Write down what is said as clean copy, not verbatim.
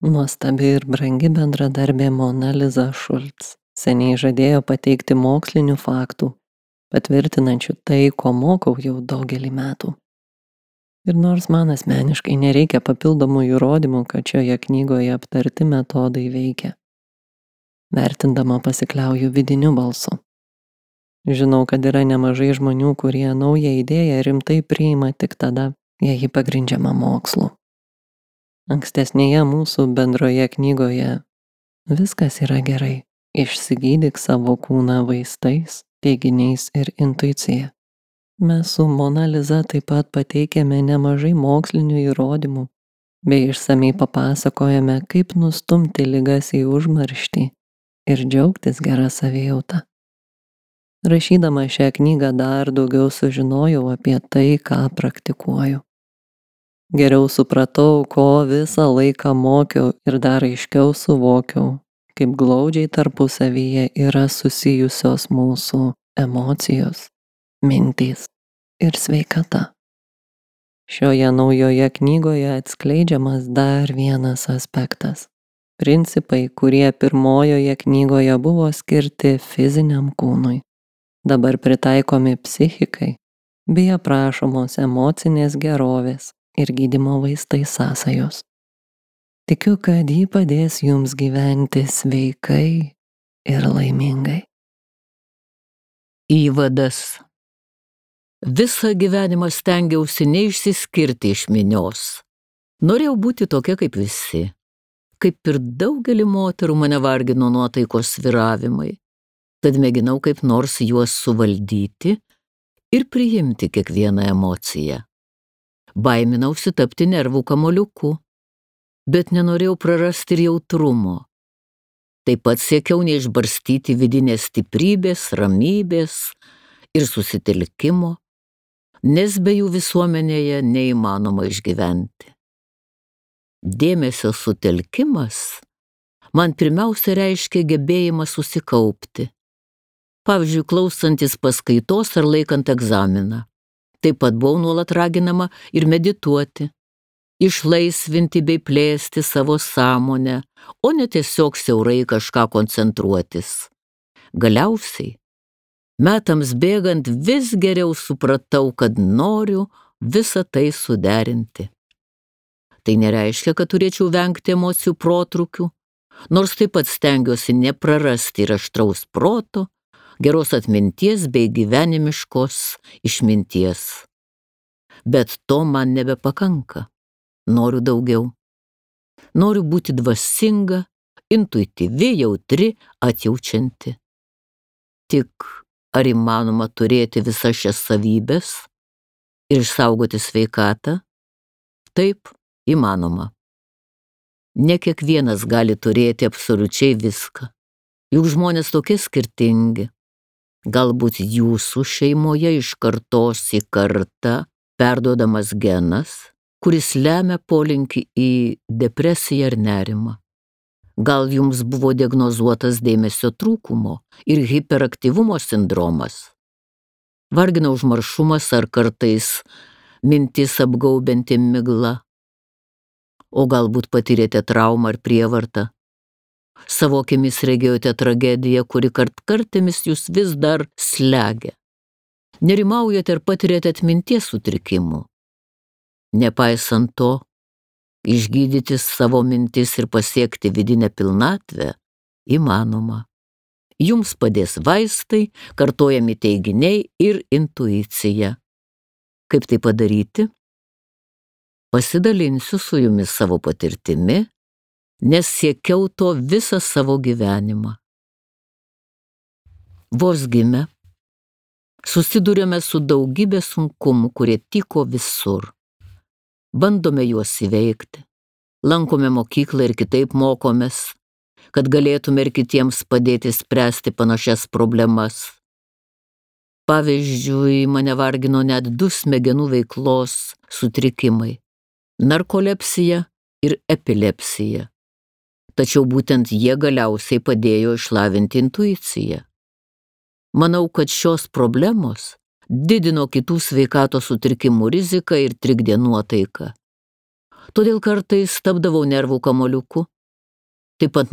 Nuostabi ir brangi bendradarbė Mona Lisa Šulc seniai žadėjo pateikti mokslinių faktų, patvirtinančių tai, ko mokau jau daugelį metų. Ir nors man asmeniškai nereikia papildomų įrodymų, kad šioje knygoje aptarti metodai veikia, vertindama pasikliauju vidiniu balsu. Žinau, kad yra nemažai žmonių, kurie naują idėją rimtai priima tik tada, jei ji pagrindžiama mokslu. Ankstesnėje mūsų bendroje knygoje viskas yra gerai. Išsigydyk savo kūną vaistais, teiginiais ir intuicija. Mes su Mona Lisa taip pat pateikėme nemažai mokslinių įrodymų, bei išsamei papasakojame, kaip nustumti ligas į užmarštį ir džiaugtis gerą savijautą. Rašydama šią knygą dar daugiau sužinojau apie tai, ką praktikuoju. Geriau supratau, ko visą laiką mokiau ir dar aiškiau suvokiau, kaip glaudžiai tarpusavyje yra susijusios mūsų emocijos, mintys ir sveikata. Šioje naujoje knygoje atskleidžiamas dar vienas aspektas. Principai, kurie pirmojoje knygoje buvo skirti fiziniam kūnui, dabar pritaikomi psichikai bei aprašomos emocinės gerovės ir gydymo vaistai sąsajos. Tikiu, kad ji padės jums gyventi sveikai ir laimingai. Įvadas. Visą gyvenimą stengiausi neišsiskirti iš minios. Norėjau būti tokia kaip visi. Kaip ir daugelį moterų mane vargino nuotaikos svyravimai, tad mėginau kaip nors juos suvaldyti ir priimti kiekvieną emociją. Baiminausi tapti nervų kamuoliuku, bet nenorėjau prarasti ir jautrumo. Taip pat siekiau neišbarstyti vidinės stiprybės, ramybės ir susitelkimo, nes be jų visuomenėje neįmanoma išgyventi. Dėmesio sutelkimas man pirmiausia reiškia gebėjimą susikaupti. Pavyzdžiui, klausantis paskaitos ar laikant egzaminą. Taip pat buvau nuolat raginama ir medituoti, išlaisvinti bei plėsti savo sąmonę, o ne tiesiog siaurai kažką koncentruotis. Galiausiai, metams bėgant vis geriau supratau, kad noriu visą tai suderinti. Tai nereiškia, kad turėčiau vengti emocijų protrūkių, nors taip pat stengiuosi neprarasti ir aštraus proto, geros atminties bei gyvenimiškos išminties. Bet to man nebepakanka. Noriu daugiau. Noriu būti dvasinga, intuityvi, jautri, atjaučianti. Tik ar įmanoma turėti visas šias savybes ir išsaugoti sveikatą? Taip, įmanoma. Ne kiekvienas gali turėti absoliučiai viską. Juk žmonės tokie skirtingi. Galbūt jūsų šeimoje iš kartos į kartą perduodamas genas, kuris lemia polinkį į depresiją ar nerimą. Gal jums buvo diagnozuotas dėmesio trūkumo ir hiperaktyvumo sindromas. Vargina užmaršumas ar kartais mintis apgaubianti migla. O galbūt patyrėte traumą ar prievartą. Savo akimis regėjote tragediją, kuri kartkartėmis jūs vis dar slegia. Nerimaujate ir patiriate atminties sutrikimų. Nepaisant to, išgydyti savo mintis ir pasiekti vidinę pilnatvę įmanoma. Jums padės vaistai, kartojami teiginiai ir intuicija. Kaip tai padaryti? Pasidalinsiu su jumis savo patirtimi, nes siekiau to visą savo gyvenimą. Vos gimę, susidurėme su daugybė sunkumų, kurie tyko visur. Bandome juos įveikti, lankome mokyklą ir kitaip mokomės, kad galėtume ir kitiems padėti spręsti panašias problemas. Pavyzdžiui, mane vargino net 2 smegenų veiklos sutrikimai – narkolepsija ir epilepsija. Tačiau būtent jie galiausiai padėjo išlavinti intuiciją. Manau, kad šios problemos didino kitų sveikatos sutrikimų riziką ir trikdė nuotaiką. Todėl kartais tapdavau nervų kamuoliuku. Taip pat